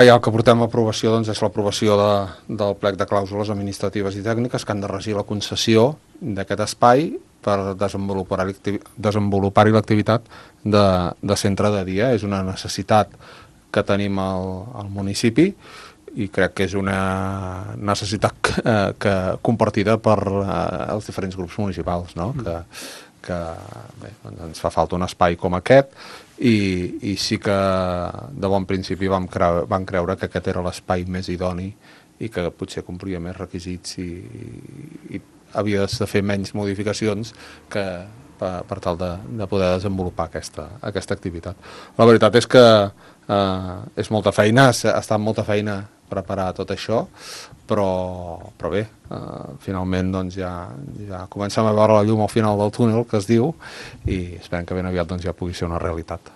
Ja el que portem a aprovació doncs, és l'aprovació del plec de clàusules administratives i tècniques que han de regir la concessió d'aquest espai per desenvolupar-hi l'activitat de centre de dia. És una necessitat que tenim al municipi i crec que és una necessitat compartida per els diferents grups municipals, no? Que bé, doncs ens fa falta un espai com aquest i sí que de bon principi vam creure que aquest era l'espai més idoni i que potser complia més requisits i havia de fer menys modificacions per tal de poder desenvolupar aquesta activitat. La veritat és que és molta feina, ha estat molta feina preparar tot això, però bé, finalment doncs ja comencem a veure la llum al final del túnel, que es diu, i esperem que ben aviat doncs, ja pugui ser una realitat.